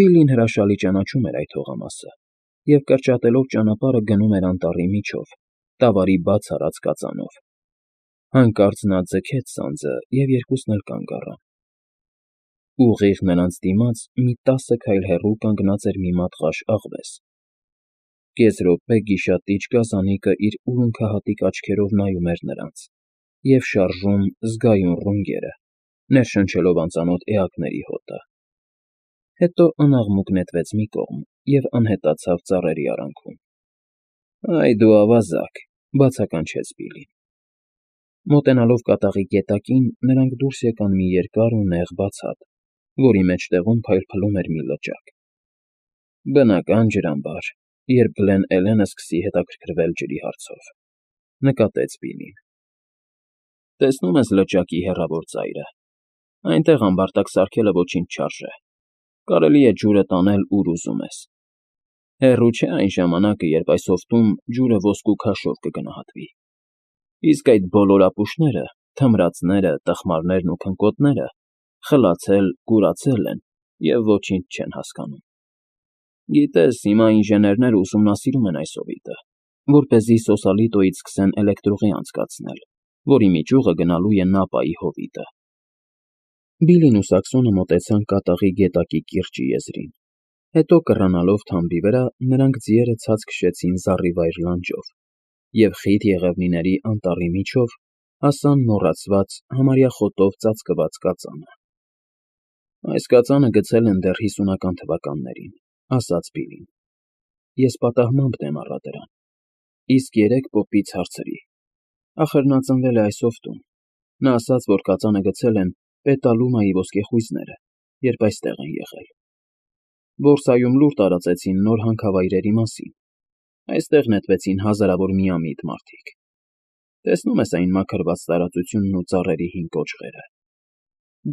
Բիլլին հրաշալի ճանաչում էր այդ հողամասը և կրճատելով ճանապարհը գնում էր անտառի միջով, տավարի բաց արած կածանով։ Հանկարծ նա ձգեց սանձը, և երկուսն էլ կանգ առան։ Ուղիղ նրանց դիմաց մի 10 քայլ հեռու կանգնած էր մի մատղաշ աղվես։ Կես րոպե գիշատիչ գազանիկը իր ուլունքահատիկ աչքերով նայում էր նրանց և շարժում զգայուն ռունգերը, ներշնչելով անծանոթ էակների հոտը։ Հետո անաղմուկ նետվեց մի կողմ և անհետացավ ծառերի արանքում։ «Այ դու ավազակ», բացականչեց Բիլլին։ Մոտենալով կատաղի գետակին, նրանք դուրս եկան մի երկար ու նեղ բացատ, որի մեջտեղում փայլփլում էր մի լճակ։ «Բնական ջրամբար, երբ Գլեն Էլենը սկսի հետաքրքրվել ջրի հարցով», նկատեց Բիլլին։ «Տեսնում ես լճակի հեռավոր ծայրը։ Այնտեղ ամբարտակ սարքելը ոչինչ չարժե։ Կարելի է ջուրը տանել, ուր ուզում ես։ Հեռու չէ այն ժամանակը, երբ այս հովտում ջուրը ոսկու քաշով կգնահատվի։ Իսկ այդ բոլոր ապուշները, թմրածները, տխմարներն ու քնկոտները խլացել, կուրացել են և ոչինչ չեն հասկանում։ Գիտես, հիմա ինժեներները ուսումնասիրում են այս հովիտը, որպեսզի Սոսալիտոյից սկսեն էլեկտրուղի անցկացնել, որի միջուղը գնալու է Նապայի հովիտը»։ Բիլլին ու Սաքսոնը մոտեցան կատաղի գետակի կիրճի եզրին։ Հետո, կռանալով թամբի վրա, նրանք ձիերը ցած քշեցին զառիվայր լանջով և խիտ եղևնիների անտառի միջով հասան մոռացված, համարյա խոտով ծածկված կածանը։ «Այս կածանը գցել են դեռ 50-ական թվականներին», ասաց Բիլլին։ «Ես պատահմամբ դեմ առա դրան, իսկ երեկ պոպից հարցրի. ախր նա ծնվել է այս հովտում։ Նա ասաց, որ կածանը գցել են Պետալումայի ոսկեխույզները, երբ այստեղ են եղել։ Բորսայում լուր տարածեցին նոր հանքավայրերի մասին։ Այստեղ նետվեցին հազարավոր միամիտ մարդիկ։ Տեսնում ես այն մաքրված տարածությունն ու ծառերի հին կոճղերը։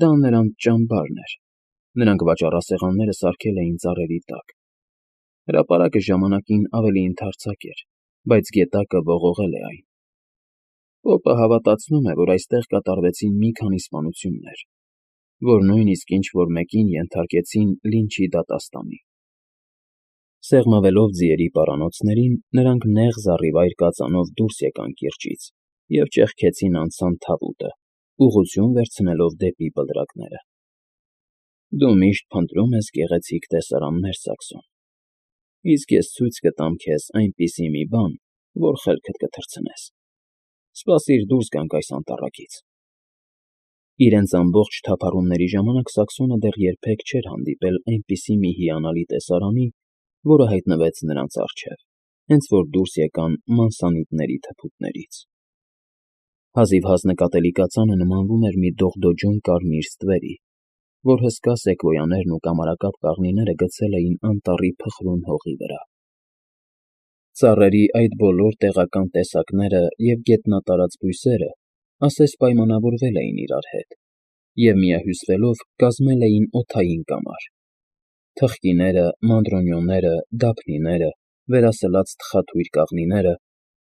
Դա նրանց ճամբարն էր։ Նրանք վաճառասեղանները սարքել էին ծառերի տակ։ Հրապարակը ժամանակին ավելի ընդարձակ էր, բայց գետակը ողողել է այն։ Պոպը հավատացնում է, որ այստեղ կատարվեցին մի քանի սպանություններ, որ նույնիսկ ինչ֊որ մեկին ենթարկեցին լինչի դատաստանի»։ Սեղմվելով ձիերի պարանոցներին, նրանք նեղ զառիվայր կածանով դուրս եկան կիրճից և ճեղքեցին անցան Թավուտը, ուղղություն վերցնելով դեպի բլրակները։ «Դու միշտ փնտրում ես գեղեցիկ տեսարաններ, Սաքսոն, իսկ ես ցույց կտամ քեզ այնպիսի մի բան, որ խելքդ կթռցնես։ Սպասիր դուրս գանք այս անտառակից»։ Իրենց ամբողջ թափառումների ժամանակ Սաքսոնը դեռ երբեք չէր հանդիպել այնպիսի մի հիանալի տեսարանի, որը հայտնվեց նրանց առջև, հենց որ դուրս եկան մանսանիտների թփուտներից։ Հազիվհազ նկատելի կածանը նմանվում էր մի դողդոջուն կարմիր ստվերի, որ հսկա սեկվոյաներն ու կամարակապ կաղնիները գցել էին անտառի փխրուն հողի վրա։ Ծառերի այդ բոլոր տեղական տեսակները և գետնատարած բույսերը ասես պայմանավորվել էին իրար հետ և, միահյուսվելով, կազմել էին օդային կամար։ Թխկիները, մանրոնյոները, դափնիները, վերասլաց թխաթույր կաղնիները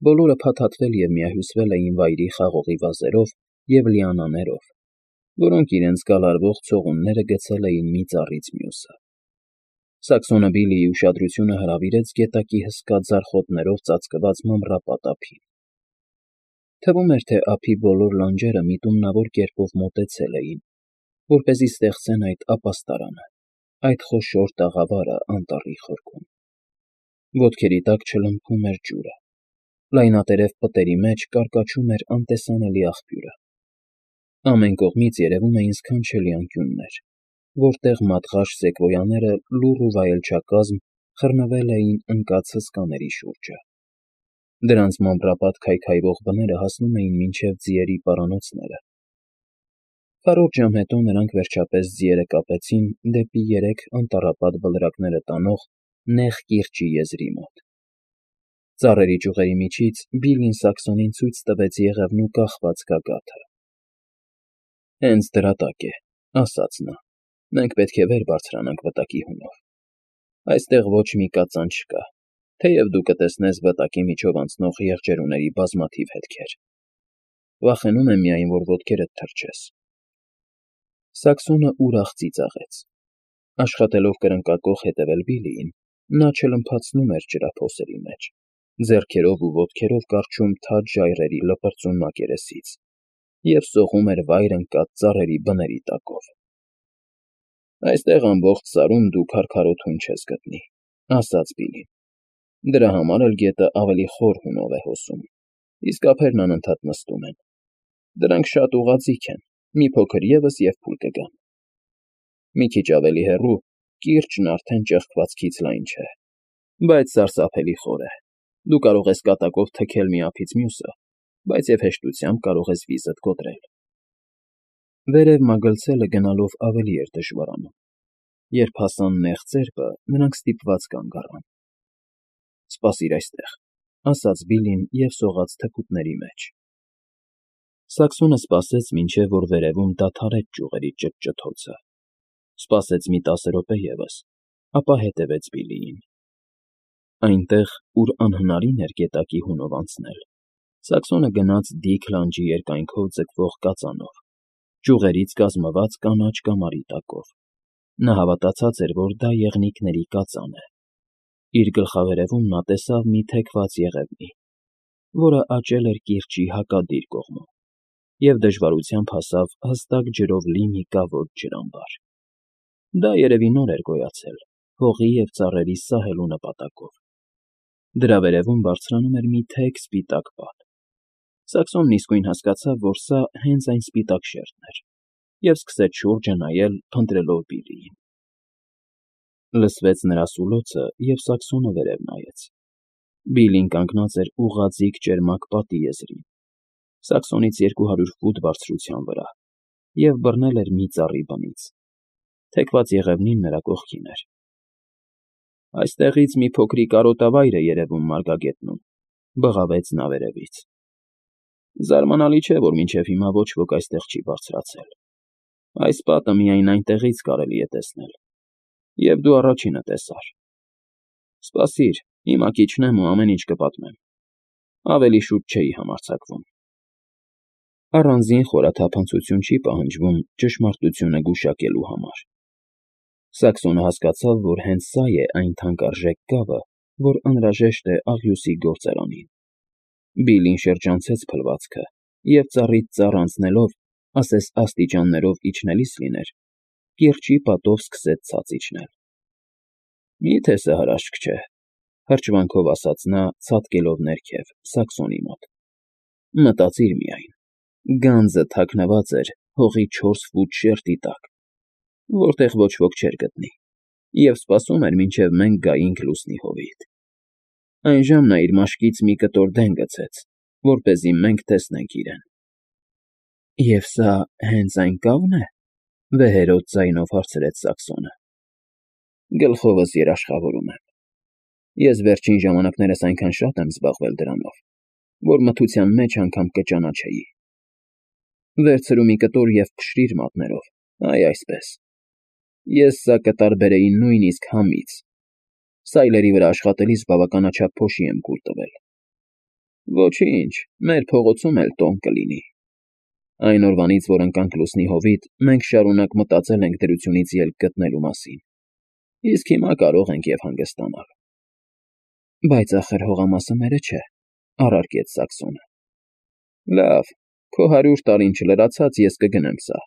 բոլորը փաթաթվել և միահյուսվել էին վայրի խաղողի վազերով և լիանաներով, որոնք իրենց գալարվող ցողունները գցել էին մի ծառից մյուսը։ Սաքսոնը Բիլլիի ուշադրությունը հրավիրեց գետակի հսկա ձարխոտներով ծածկված մամռապատ ափին։ Թվում էր, թե ափի բոլոր լանջերը միտումնավոր կերպով մոտեցել էին, որպեսզի ստեղծեն այդ ապաստարանը, այդ խոշոր տաղավարը անտառի խորքում։ Ոտքերի տակ չլմփում էր ջուրը։ Լայնատերև պտերի մեջ կարկաչում էր անտեսանելի աղբյուրը։ Ամեն կողմից երևում էին սքանչելի անկյուններ, որտեղ մատղաշ սեկվոյաները լուռ ու վայելչակազմ խռնվել էին ընկած հսկաների շուրջը։ Դրանց մամռապատ քայքայվող բները հասնում էին մինչև ձիերի պարանոցները։ Քառորդ ժամ հետո նրանք վերջապես ձիերը կապեցին դեպի 3 անտառապատ բլրակները տանող նեղ կիրճի եզրի մոտ։ Ծառերի ճյուղերի միջից Բիլլին Սաքսոնին ցույց տվեց եղևնու կախված գագաթը։ «Հենց դրա տակ է», ասաց նա։ «Մենք պետք է վեր բարձրանանք վտակի հունով։ Այստեղ ոչ մի կածան չկա, թեև դու կտեսնես վտակի միջով անցնող եղջերուների բազմաթիվ հետքեր։ Վախենում եմ միայն, որ ոտքերդ թրջես»։ Սաքսոնը ուրախ ծիծաղեց։ Աշխատելով կրնկակոխ հետևել Բիլիին, նա չլմփացնում էր ջրափոսերի մեջ, ձեռքերով ու ոտքերով կառչում թաց ժայռերի լպրծուն մակերեսից և սողում էր վայր ընկած ծառերի բների տակով։ «Այստեղ ամբողջ սարում դու քարքարոտ հույն չես գտնի», ասաց Բիլին։ «Դրա համար էլ գետը ավելի խոր հունով է հոսում, իսկ ափերն անընդհատ նստում են։ Դրանք շատ ուղղաձիգ են, մի փոքր ևս և փուլ կգան։ Մի քիչ ավելի հեռու կիրճն արդեն ճեղքվածքից լայն չէ, բայց սարսափելի խոր է։ Դու կարող ես կատակով թքել մի ափից մյուսը, բայց և հեշտությամբ կարող ես վիզդ կոտրել»։ Վերև մագլցելը գնալով ավելի էր դժվարանում։ Երբ հասան նեղ ծերպը, նրանք ստիպված կանգ առան։ «Սպասիր այստեղ», ասաց Բիլին և սողաց թփուտների մեջ։ Սակսոնը սպասեց, մինչև որ վերևում դադարեց ճյուղերի ճտճթոցը։ Սպասեց մի 10 րոպե ևս, ապա հետևեց Բիլիին։ Այնտեղ, ուր անհնարին էր գետակի հունով անցնել, Սակսոնը գնաց դիք լանջի երկայնքով ձգվող կածանով, ճյուղերից կազմված կանաչ կամարի տակով։ Նա հավատացած էր, որ դա եղնիկների կածան է։ Իր գլխավերևում նա տեսավ մի թեքված եղևնի, որը աճել էր կիրճի հակադիր կողմում, և դժվարությամբ հասավ հստակ ջրով լի մի կավոտ ջրամբար։ Դա երևի նոր էր գոյացել, հողի և ծառերի սահելու նպատակով։ Դրա վերևում բարձրանում էր մի թեք սպիտակ պատ։ Սակսոնն իսկույն հասկացավ, որ սա հենց այն սպիտակ շերտն էր, և սկսեց շուրջը նայել, փնտրելով Բիլիին։ Լսվեց նրա սուլոցը, և Սակսոնը վերև նայեց։ Բիլին կանգնած էր ուղղաձիգ ճերմակ պատի եզրին, Սակսոնից 200 ֆուտ բարձրության վրա, և բռնել էր մի ծառի բնից։ Թեքված եղևնին նրա կողքին էր։ «Այստեղից մի փոքրիկ արոտավայր է երևում մարգագետնում», բղավեց նա վերևից։ «Զարմանալի չէ, որ մինչև հիմա ոչ ոք այստեղ չի բարձրացել։ Այս պատը միայն այնտեղից կարելի է տեսնել, և դու առաջինը տեսար։ Սպասիր, հիմա կիջնեմ ու ամեն ինչ կպատմեմ։ Ավելի շուտ չէի համարձակվում»։ Առանձին խորաթափանցություն չի պահանջվում ճշմարտությունը գուշակելու համար։ Սակսոնը հասկացավ, որ հենց սա է այն թանկարժեք կավը, որ անհրաժեշտ է աղյուսի գործարանին։ Բիլին շրջանցեց փլվածքը և ծառից ծառ անցնելով, ասես աստիճաններով իջնելիս լիներ, կիրճի պատով սկսեց ցած իջնել։ «Մի՞թե սա հրաշք չէ», հրճվանքով ասաց նա, ցատկելով ներքև, Սակսոնի մոտ։ «Մտածիր միայն, գանձը թաքնված էր հողի 4 ֆուտ շերտի տակ, որտեղ ոչ ոք չէր գտնի, և սպասում էր, մինչև մենք գայինք լուսնի հովիտ։ Այն ժամ նա իր մաշկից մի կտոր դեն գցեց, որպեսզի մենք տեսնենք իրեն»։ «Եվ սա հենց այն կավն է», վեհերաս ձայնով հարցրեց Սակսոնը։ «Գլխովս երաշխավորում եմ։ Ես վերջին ժամանակներս այնքան շատ եմ զբաղվել դրանով, որ մթության մեջ անգամ կճանաչեի։ Վերցրու մի կտոր և փշրիր մատներով, այ այսպես։ Ես սա կտարբերեի նույնիսկ համից։ Սայլերի վրա աշխատելիս բավականաչափ փոշի եմ կուլ տվել։ Ոչինչ, մեր փողոցում էլ տոն կլինի։ Այն օրվանից, որ ընկանք լուսնի հովիտ, մենք շարունակ մտածել ենք դրությունից ելք գտնելու մասին, իսկ հիմա կարող ենք և հանգստանալ»։ «Բայց ախր հողամասը մերը չէ», առարկեց Սակսոնը։ «Լավ, քո 100 տարին չլրացած ես կգնեմ սա։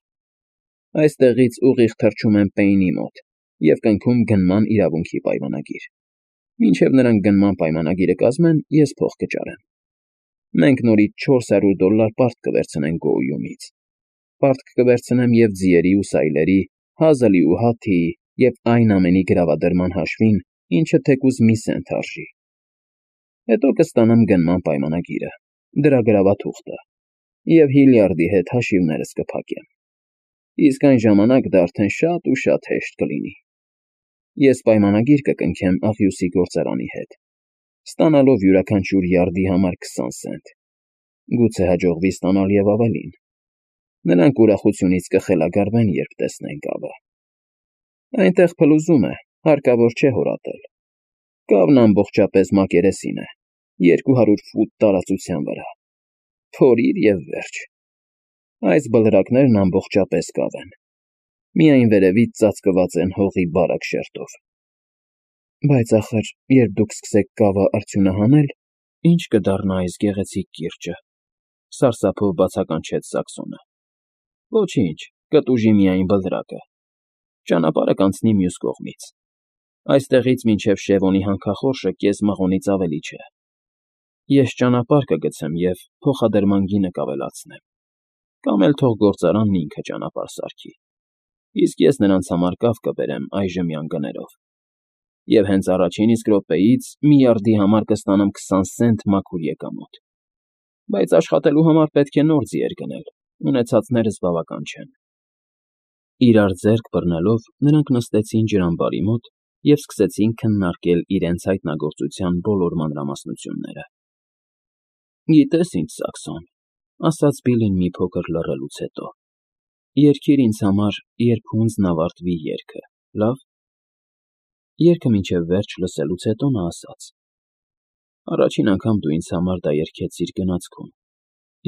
Այստեղից ուղիղ թռչում եմ Պեյնի մոտ և կնքում գնման իրավունքի պայմանագիր։ Մինչև նրանք գնման պայմանագիրը կազմեն, ես փող կճարեմ։ Մենք նորից $400 պարտք կվերցնենք Գոույումից։ Պարտք կվերցնեմ և ձիերի ու սայլերի, հազլի ու հաթիի և այն ամենի գրավադրման հաշվին, ինչը թեկուզ մի սենտ արժի։ Հետո կստանամ գնման պայմանագիրը, դրա գրավաթուղթը, և Հիլյարդի հետ հաշիվներս կփակեմ։ Իսկ այն ժամանակ դա արդեն շատ ու շատ հեշտ կլինի։ Ես պայմանագիր կկնքեմ աղյուսի գործարանի հետ, ստանալով յուրաքանչյուր յարդի համար 20 սենտ։ Գուցե հաջողվի ստանալ և ավելին։ Նրանք ուրախությունից կխելագարվեն, երբ տեսնեն կավը։ Այնտեղ փլուզում է, հարկավոր չէ հորատել։ Կավն ամբողջապես մակերեսին է, 200 ֆուտ տարածության վրա։ Փորիր և վերջ։ Այս բլրակներն ամբողջապես կավ են։ Միայն վերևից ծածկված են հողի բարակ շերտով։ Բայց ախր, երբ դուք սկսեք կավը արդյունահանել, ի՞նչ կդառնա այս գեղեցիկ կիրճը,֊ սարսափով բացականչեց Սակսոնը։ Ոչինչ, կտուժի միայն բլրակը։ Ճանապարհը կանցնի մյուս կողմից։ Այստեղից մինչև Շևոնի հանքախորշը կես մղոնից ավելի չէ։ Ես ճանապարհ կգցեմ և փոխադրման գինը կավելացնեմ, կամ էլ թող գործարանն ինքը ճանապարհ սարքի, իսկ ես նրանց համար կավ կբերեմ այժմյան գներով, և հենց առաջին իսկ րոպեից միարդի համար կստանամ 20 սենտ մաքուր եկամուտ։ Բայց աշխատելու համար պետք է նոր ձիեր գնել, ունեցածներս բավական չեն։ Իրար ձեռք բռնելով՝ նրանք նստեցին ջրամբարի մոտ և սկսեցին քննարկել իրենց հայտնագործության բոլոր մանրամասնությունները։ «Գիտես ինչ, Սակսոն,֊ ասաց Բիլին մի փոքր լռելուց հետո,֊ երգիր ինձ համար, երբ հունձն ավարտվի երգը, լավ»։ Երգը մինչև վերջ լսելուց հետո նա ասաց. «Առաջին անգամ դու ինձ համար դա երգեցիր գնացքում,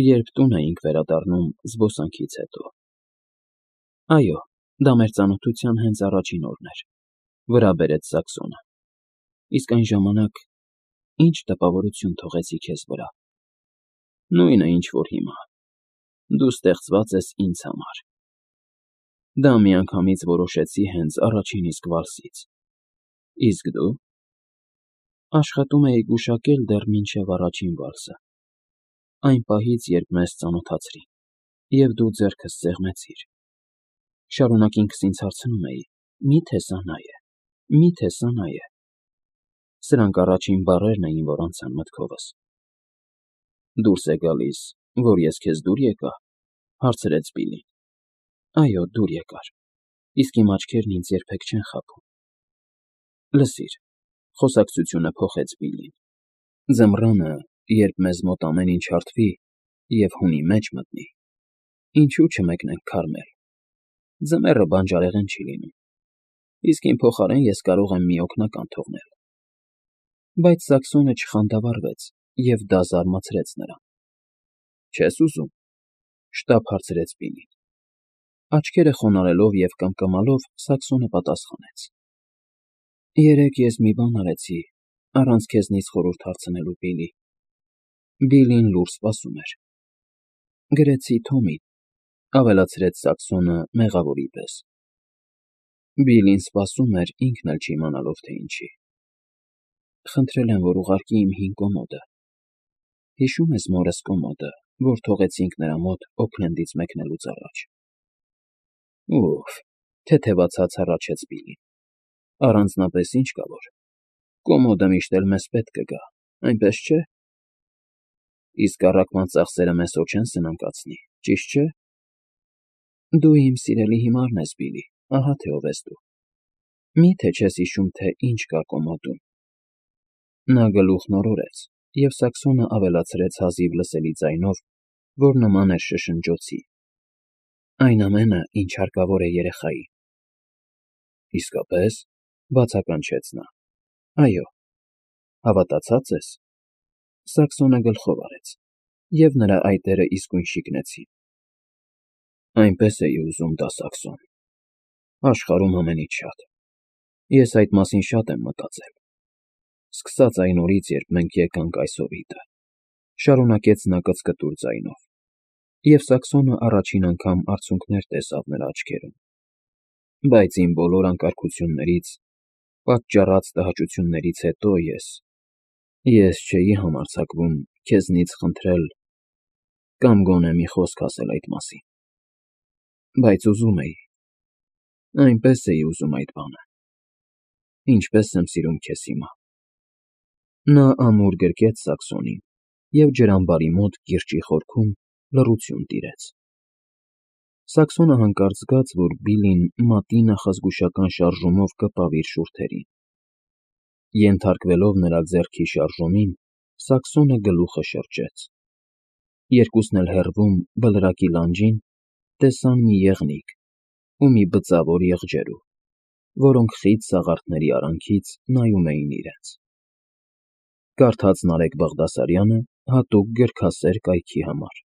երբ տուն էինք վերադառնում զբոսանքից հետո»։ «Այո, դա մեր ծանոթության հենց առաջին օրն էր,֊ վրա բերեց Սակսոնը,֊ իսկ այն ժամանակ ինչ տպավորություն թողեցի քեզ վրա։ Նույնը, ինչ որ հիմա. դու ստեղծված ես ինձ համար։ Դա միանգամից որոշեցի հենց առաջին իսկ վալսից։ Իսկ դու…» «Աշխատում էի գուշակել դեռ մինչև առաջին վալսը, այն պահից, երբ մեզ ծանոթացրին, և դու ձեռքս սեղմեցիր։ Շարունակ ինքս ինձ հարցնում էի. մի՞թե սա նա է, մի՞թե սա նա է։ Սրանք առաջին բառերն էին, որ անցան մտքովս»։ «Դուրս է գալիս, որ ես քեզ դուր եկա,֊ հարցրեց Բիլին։ «Այո, դուր եկար, իսկ իմ աչքերն ինձ երբեք չեն խաբում»։ «Լսիր,֊ խոսակցությունը փոխեց Բիլին,֊ ձմռանը, երբ մեզ մոտ ամեն ինչ հարթվի և հունի մեջ մտնի, ինչո՞ւ չմեկնենք քարմել։ Ձմեռը բանջարեղեն չի լինում, իսկ իմ փոխարեն ես կարող եմ մի օգնական թողնել»։ Բայց Սակսոնը չխանդավառվեց, և դա զարմացրեց նրան։ «Չես ուզում,֊ շտապ հարցրեց Բիլին։ Աչքերը խոնարհելով և կմկմալով Սակսոնը պատասխանեց. «Երեկ ես մի բան արեցի, առանց քեզնից խորհուրդ հարցնելու, Բիլի»։ Բիլին լուռ սպասում էր։ «Գրեցի Թոմին,֊ ավելացրեց Սակսոնը մեղավորի պես։ Բիլին սպասում էր, ինքն էլ չիմանալով, թե ինչի։ «Խնդրել եմ, որ ուղարկի իմ հին կոմոդը։ Հիշո՞ւմ ես մորս կոմոդը, որ թողեցինք նրա մոտ Օքլենդից մեկնելուց առաջ»։ «Ուֆ…֊ թեթևացած հառաչեց Բիլին,֊ առանձնապես ինչ կա որ… Կոմոդը միշտ էլ մեզ պետք կգա, այնպես չէ՞։ Իսկ առաքման ծախսերը մեզ հո չեն սնանկացնի, ճիշտ չէ՞։ Դու իմ սիրելի հիմարն ես, Բիլի, ահա թե ով ես դու։ Մի՞թե չես հիշում, թե ինչ կա կոմոդում»։ Նա գլուխն օրորեց, և Սակսոնը ավելացրեց հազիվ լսելի ձայնով, որ նման էր շշնջոցի. «Այն ամենը, ինչ հարկավոր է երեխային»։ «Իսկապես,֊ բացականչեց նա,֊ այո, հավատացած ես»։ Սակսոնը գլխով արեց, և նրա այտերը իսկույն շիկնեցին։ «Այնպես էի ուզում դա, Սակսոն… Աշխարհում ամենից շատ։ Ես այդ մասին շատ եմ մտածել։ Սկսած այն օրից, երբ մենք եկանք այս հովիտը,֊ շարունակեց նա կծկտուր ձայնով, և Սակսոնը առաջին անգամ արցունքներ տեսավ նրա աչքերում,֊ բայց իմ բոլոր անկարգություններից, պատճառած տհաճություններից հետո ես չէի համարձակվում քեզնից խնդրել կամ գոնե մի խոսք ասել այդ մասին։ Բայց ուզում էի, այնպես էի ուզում այդ բանը, ինչպես եմ սիրում քեզ հիմա»։ Նա ամուր գրկեց Սակսոնին, և ջրամբարի մոտ կիրճի խորքում լռություն տիրեց։ Սակսոնը հանկարծ զգաց, որ Բիլին մատի նախազգուշական շարժումով կպավ իր շուրթերին։ Ենթարկվելով նրա ձեռքի շարժումին, Սակսոնը գլուխը շրջեց։ Երկուսն էլ հեռվում, բլրակի լանջին, տեսան մի եղնիկ ու մի բծավոր եղջերու, որոնք խիտ սաղարթների արանքից նայում էին իրենց։ Կարդաց Նարեկ Բաղդասարյանը հատուկ գրքասեր կայքի համար։